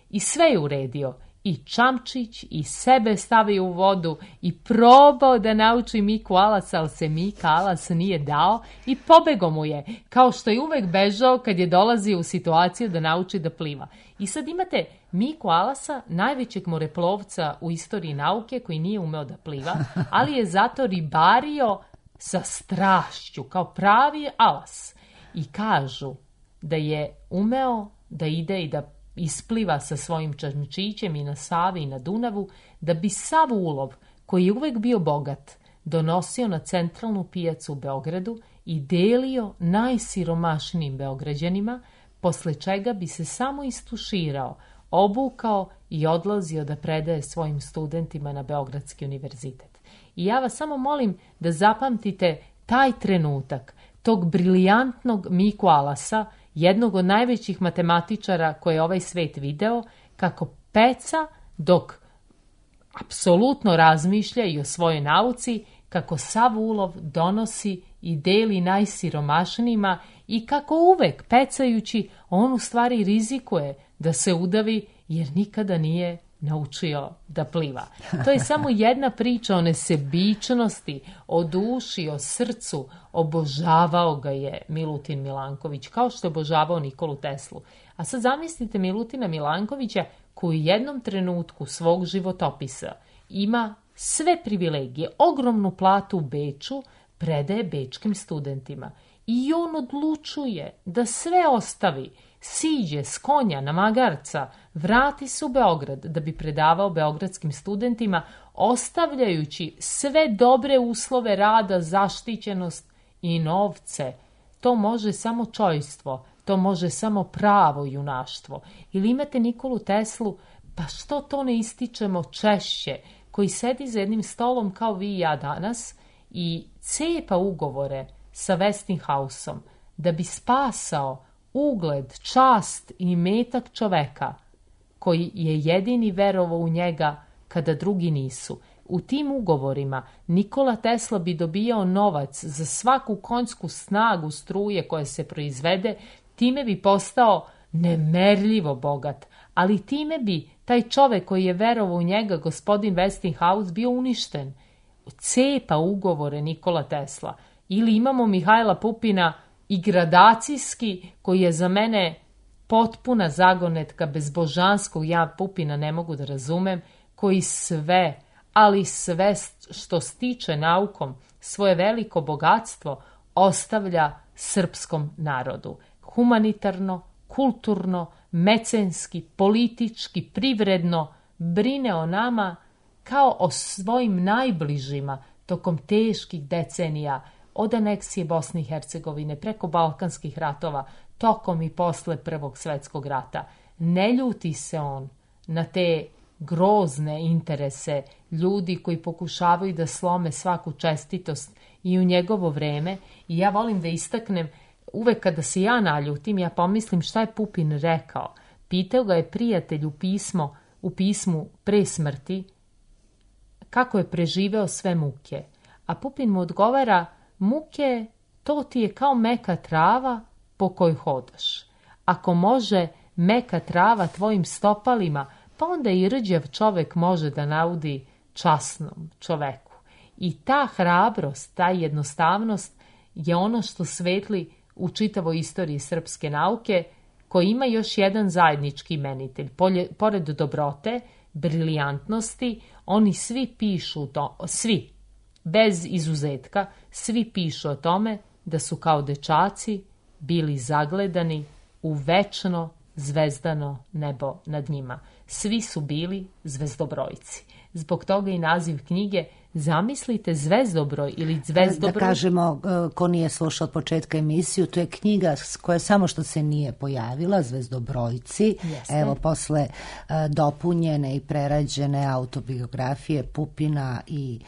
[SPEAKER 3] I sve je uredio. I čamčić, i sebe stavio u vodu, i probao da nauči Miku Alasa, ali se Mika Alas nije dao i pobegao mu je, kao što je uvek bežao kad je dolazio u situaciju da nauči da pliva. I sad imate Miku Alasa, najvećeg moreplovca u istoriji nauke, koji nije umeo da pliva, ali je zato ribario sa strašću, kao pravi alas. I kažu da je umeo da ide i da ispliva sa svojim čamčićem i na Savi i na Dunavu, da bi sav ulov, koji je uvek bio bogat, donosio na centralnu pijacu u Beogradu i delio najsiromašnijim Beograđanima, posle čega bi se samo istuširao, obukao i odlazio da predaje svojim studentima na Beogradski univerzitet. I ja vas samo molim da zapamtite taj trenutak tog briljantnog Miku Alasa, jednog od najvećih matematičara koje je ovaj svet video, kako peca dok apsolutno razmišlja i o svojoj nauci, kako sav ulov donosi i deli najsiromašnijima i kako uvek pecajući on u stvari rizikuje da se udavi jer nikada nije naučio da pliva. To je samo jedna priča o nesebičnosti, o duši, o srcu. Obožavao ga je Milutin Milanković, kao što je obožavao Nikolu Teslu. A sad zamislite Milutina Milankovića koji u jednom trenutku svog životopisa ima sve privilegije, ogromnu platu u Beču, predaje bečkim studentima. I on odlučuje da sve ostavi, siđe s konja na magarca, vrati se u Beograd da bi predavao beogradskim studentima, ostavljajući sve dobre uslove rada, zaštićenost i novce. To može samo čojstvo, to može samo pravo junaštvo. Ili imate Nikolu Teslu, pa što to ne ističemo češće, koji sedi za jednim stolom kao vi i ja danas i cepa ugovore sa Westinghouseom da bi spasao ugled, čast i imetak čoveka koji je jedini verovao u njega kada drugi nisu. U tim ugovorima Nikola Tesla bi dobijao novac za svaku konjsku snagu struje koja se proizvede, time bi postao nemerljivo bogat, ali time bi taj čovek koji je verovao u njega, gospodin Westinghouse, bio uništen. Cepa ugovore Nikola Tesla. Ili imamo Mihajla Pupina i gradacijski, koji je za mene potpuna zagonetka bezbožanskog, ja Pupina ne mogu da razumem, koji sve, ali sve što stiče naukom, svoje veliko bogatstvo ostavlja srpskom narodu. Humanitarno, kulturno, mecenski, politički, privredno brine o nama kao o svojim najbližima tokom teških decenija, od aneksije Bosne i Hercegovine, preko Balkanskih ratova, tokom i posle Prvog svjetskog rata. Ne ljuti se on na te grozne interese ljudi koji pokušavaju da slome svaku čestitost i u njegovo vreme. I ja volim da istaknem, uvek kada se ja naljutim, ja pomislim šta je Pupin rekao. Pitao ga je prijatelj u, pismo, u pismu pre smrti kako je preživeo sve muke. A Pupin mu odgovara, muke, to ti je kao meka trava po kojoj hodaš. Ako može meka trava tvojim stopalima, pa onda i rđav čovek može da naudi časnom čoveku. I ta hrabrost, ta jednostavnost je ono što svetli u čitavoj istoriji srpske nauke, koji ima još jedan zajednički imenitelj. Polje, pored dobrote, briljantnosti, oni svi pišu to, svi, bez izuzetka, svi pišu o tome da su kao dečaci bili zagledani u večno zvezdano nebo nad njima. Svi su bili zvezdobrojci. Zbog toga i naziv knjige, zamislite, Zvezdobroj ili Zvezdobroj.
[SPEAKER 4] Da kažemo, ko nije slušao od početka emisiju, to je knjiga koja samo što se nije pojavila, Zvezdobrojci.
[SPEAKER 3] Jeste.
[SPEAKER 4] Evo, posle dopunjene i prerađene autobiografije Pupina i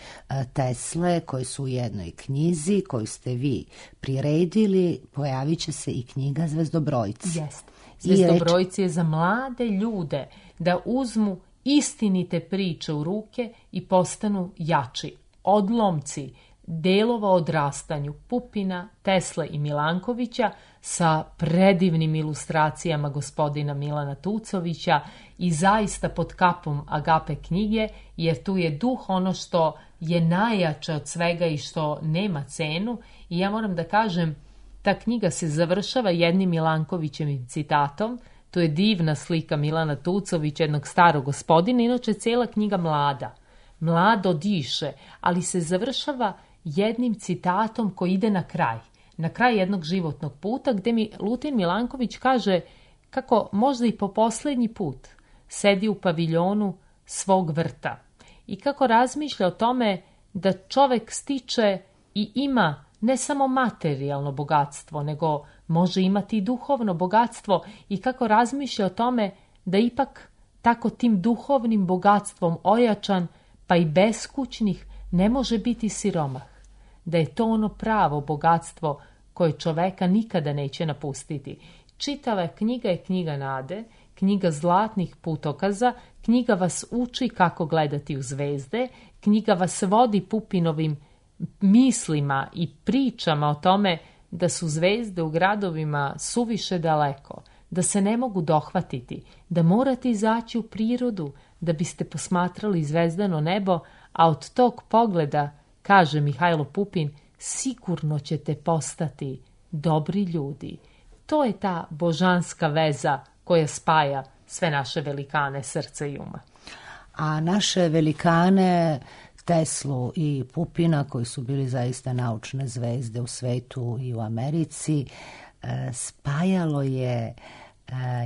[SPEAKER 4] Tesle, koji su u jednoj knjizi, koju ste vi priredili, pojavit će se i knjiga Zvezdobrojci.
[SPEAKER 3] Jeste. Zvezdobrojci je za mlade ljude da uzmu istinite priče u ruke i postanu jači. Odlomci delova odrastanju Pupina, Tesle i Milankovića sa predivnim ilustracijama gospodina Milana Tucovića i zaista pod kapom Agape knjige, jer tu je duh ono što je najjače od svega i što nema cenu. I ja moram da kažem, ta knjiga se završava jednim Milankovićevim citatom. To je divna slika Milana Tucovića, jednog starog gospodina, inače cijela knjiga mlada. Mlado diše, ali se završava jednim citatom koji ide na kraj. Na kraj jednog životnog puta, gdje mi Lutin Milanković kaže kako možda i po posljednji put sedi u paviljonu svog vrta i kako razmišlja o tome da čovek stiče i ima ne samo materijalno bogatstvo, nego može imati i duhovno bogatstvo i kako razmišlja o tome da ipak tako tim duhovnim bogatstvom ojačan, pa i beskućnih, ne može biti siromah. Da je to ono pravo bogatstvo koje čoveka nikada neće napustiti. Čitava knjiga je knjiga nade, knjiga zlatnih putokaza, knjiga vas uči kako gledati u zvezde, knjiga vas vodi Pupinovim mislima i pričama o tome da su zvezde u gradovima suviše daleko, da se ne mogu dohvatiti, da morate izaći u prirodu da biste posmatrali zvezdano nebo, a od tog pogleda, kaže Mihajlo Pupin, sigurno ćete postati dobri ljudi. To je ta božanska veza koja spaja sve naše velikane srca i uma.
[SPEAKER 4] A naše velikane Teslu i Pupina, koji su bili zaista naučne zvezde u svetu i u Americi, spajalo je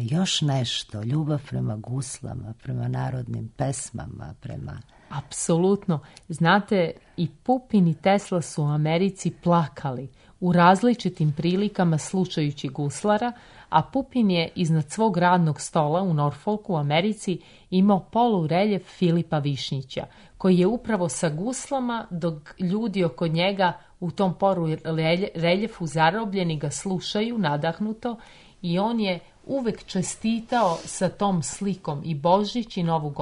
[SPEAKER 4] još nešto, ljubav prema guslama, prema narodnim pesmama, prema...
[SPEAKER 3] Apsolutno. Znate, i Pupin i Tesla su u Americi plakali u različitim prilikama slušajući guslara, a Pupin je iznad svog radnog stola u Norfolku u Americi imao polureljef Filipa Višnjića, koji je upravo sa guslama, dok ljudi oko njega u tom poru reljefu zarobljeni ga slušaju nadahnuto, i on je uvek čestitao sa tom slikom i Božić i Novu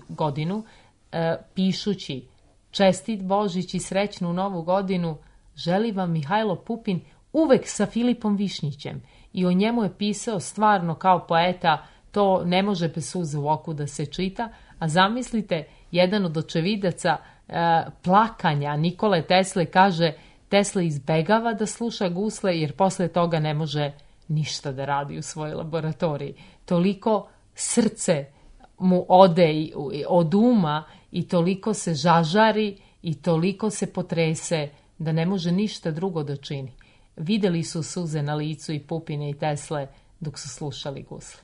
[SPEAKER 3] godinu, e, pišući čestit Božić i srećnu Novu godinu, želi vam Mihajlo Pupin, uvek sa Filipom Višnjićem. I o njemu je pisao stvarno kao poeta, to ne može bez suze u oku da se čita, a zamislite, jedan od očevidaca e, plakanja Nikole Tesle kaže, Tesla izbegava da sluša gusle jer posle toga ne može ništa da radi u svojoj laboratoriji. Toliko srce mu ode od uma i toliko se žažari i toliko se potrese da ne može ništa drugo da čini. Videli su suze na licu i Pupine i Tesle dok su slušali gusle.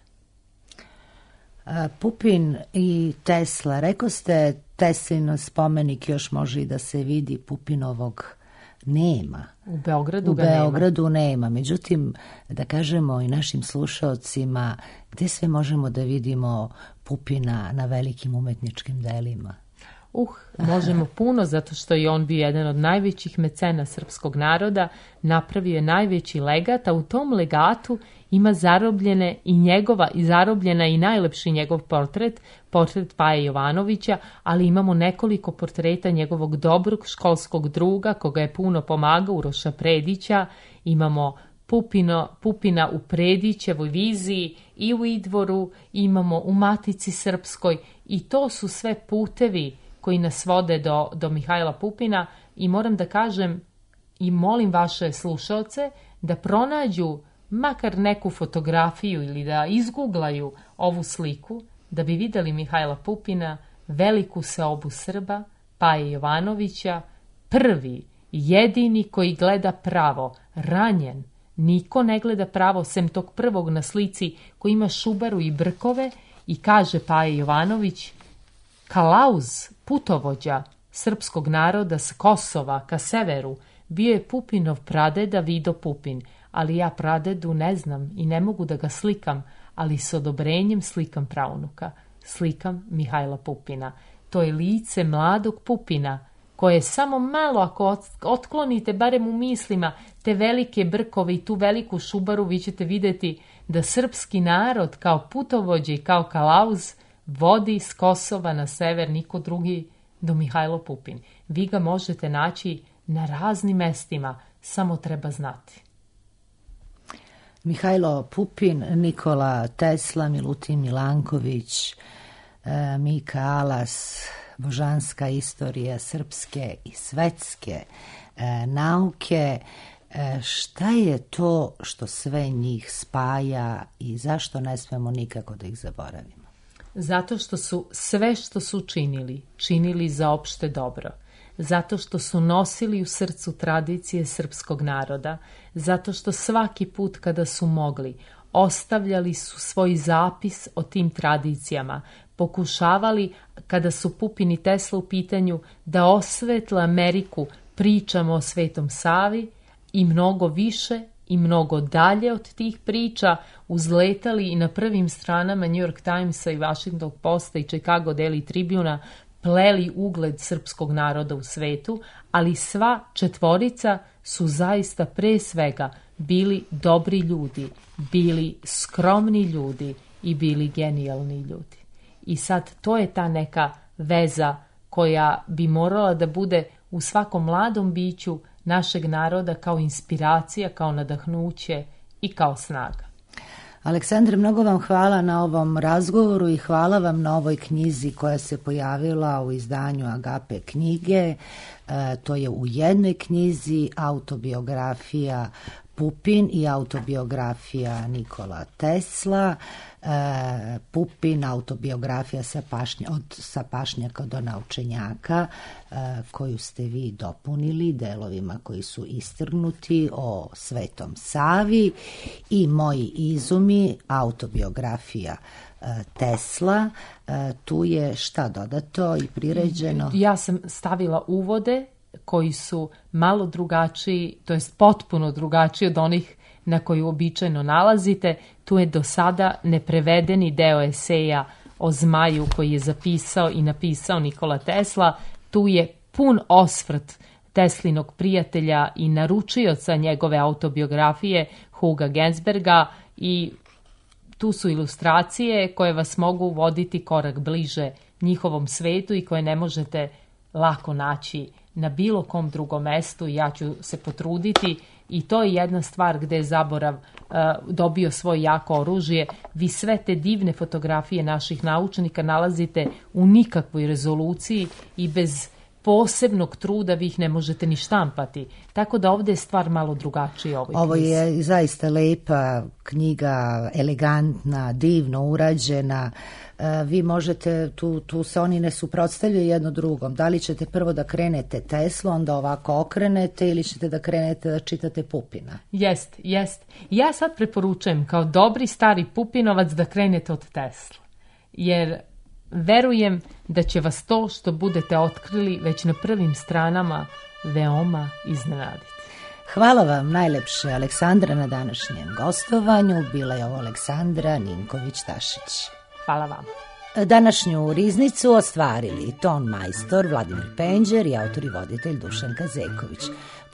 [SPEAKER 4] Pupin i Tesla, rekao ste, Teslin spomenik još može i da se vidi, Pupinovog nema.
[SPEAKER 3] U Beogradu
[SPEAKER 4] U
[SPEAKER 3] ga
[SPEAKER 4] Beogradu
[SPEAKER 3] nema.
[SPEAKER 4] nema. Međutim, da kažemo i našim slušaocima, gde sve možemo da vidimo Pupina na velikim umetničkim delima?
[SPEAKER 3] Uh, možemo puno, zato što je on bio jedan od najvećih mecena srpskog naroda, napravio je najveći legat, a u tom legatu ima zarobljene i njegova, i zarobljena i najlepši njegov portret, portret Paje Jovanovića, ali imamo nekoliko portreta njegovog dobrog školskog druga, koga je puno pomagao, Uroša Predića, imamo Pupino, Pupina u Predićevoj viziji i u Idvoru, imamo u Matici Srpskoj, i to su sve putevi koji nas vode do, do Mihajla Pupina, i moram da kažem i molim vaše slušaoce da pronađu makar neku fotografiju ili da izguglaju ovu sliku, da bi videli Mihajla Pupina, veliku seobu Srba, Paje Jovanovića, prvi, jedini koji gleda pravo, ranjen. Niko ne gleda pravo, sem tog prvog na slici koji ima šubaru i brkove, i kaže Paje Jovanović: Kalauz, putovođa srpskog naroda s Kosova ka severu, bio je Pupinov pradeda Vido Pupin, ali ja pradedu ne znam i ne mogu da ga slikam, ali s odobrenjem slikam praunuka. Slikam Mihajla Pupina. To je lice mladog Pupina, koje samo malo, ako otklonite barem u mislima te velike brkove i tu veliku šubaru, vi ćete vidjeti da srpski narod kao putovođe i kao kalauz vodi s Kosova na sever niko drugi do Mihajlo Pupin. Vi ga možete naći na raznim mestima, samo treba znati.
[SPEAKER 4] Mihajlo Pupin, Nikola Tesla, Milutin Milanković, Mika Alas, božanska istorija srpske i svetske nauke. Šta je to što sve njih spaja i zašto ne smemo nikako da ih zaboravimo?
[SPEAKER 3] Zato što su sve što su činili, činili za opšte dobro. Zato što su nosili u srcu tradicije srpskog naroda. Zato što svaki put kada su mogli, ostavljali su svoj zapis o tim tradicijama. Pokušavali, kada su Pupin i Tesla u pitanju, da osvetle Ameriku pričama o Svetom Savi, i mnogo više i mnogo dalje od tih priča, uzletali i na prvim stranama New York Timesa i Washington Posta i Chicago Daily Tribuna, pleli ugled srpskog naroda u svetu, ali sva četvorica su zaista pre svega bili dobri ljudi, bili skromni ljudi i bili genijalni ljudi. I sad to je ta neka veza koja bi morala da bude u svakom mladom biću našeg naroda kao inspiracija, kao nadahnuće i kao snaga.
[SPEAKER 4] Aleksandre, mnogo vam hvala na ovom razgovoru i hvala vam na ovoj knjizi koja se pojavila u izdanju Agape knjige. E, to je u jednoj knjizi autobiografija Pupin i autobiografija Nikola Tesla. E, Pupin, autobiografija sa, pašnja, od, sa pašnjaka do naučenjaka, e, koju ste vi dopunili delovima koji su istrgnuti o Svetom Savi, i Moji izumi, autobiografija e, Tesla. E, tu je šta dodato i priređeno?
[SPEAKER 3] Ja sam stavila uvode koji su malo drugačiji, to jest potpuno drugačiji od onih na koji uobičajeno nalazite. Tu je do sada neprevedeni deo eseja o zmaju koji je zapisao i napisao Nikola Tesla. Tu je pun osvrt Teslinog prijatelja i naručioca njegove autobiografije Huga Gensberga, i tu su ilustracije koje vas mogu voditi korak bliže njihovom svetu i koje ne možete lako naći na bilo kom drugom mestu. Ja ću se potruditi, i to je jedna stvar gde je zaborav uh, dobio svoje jako oružje. Vi sve te divne fotografije naših naučnika nalazite u nikakvoj rezoluciji i bez posebnog truda vi ih ne možete ni štampati. Tako da ovdje je stvar malo drugačija. Ovoj
[SPEAKER 4] Ovo
[SPEAKER 3] knjizi.
[SPEAKER 4] je zaista lepa knjiga, elegantna, divno urađena. E, vi možete, tu, tu se oni ne suprotstavljaju jedno drugom. Da li ćete prvo da krenete Teslu, onda ovako okrenete, ili ćete da krenete da čitate Pupina?
[SPEAKER 3] Jest, jest. Ja sad preporučujem kao dobri stari Pupinovac da krenete od Tesla. Jer verujem da će vas to što budete otkrili već na prvim stranama veoma iznenaditi.
[SPEAKER 4] Hvala vam najlepše, Aleksandra, na današnjem gostovanju. Bila je ovo Aleksandra Ninković-Tašić.
[SPEAKER 3] Hvala vam.
[SPEAKER 4] Današnju riznicu ostvarili ton majstor Vladimir Penđer i autor i voditelj Dušan Kazeković.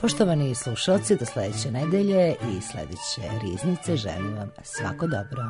[SPEAKER 4] Poštovani slušalci, do sledeće nedelje i sledeće riznice želim vam svako dobro.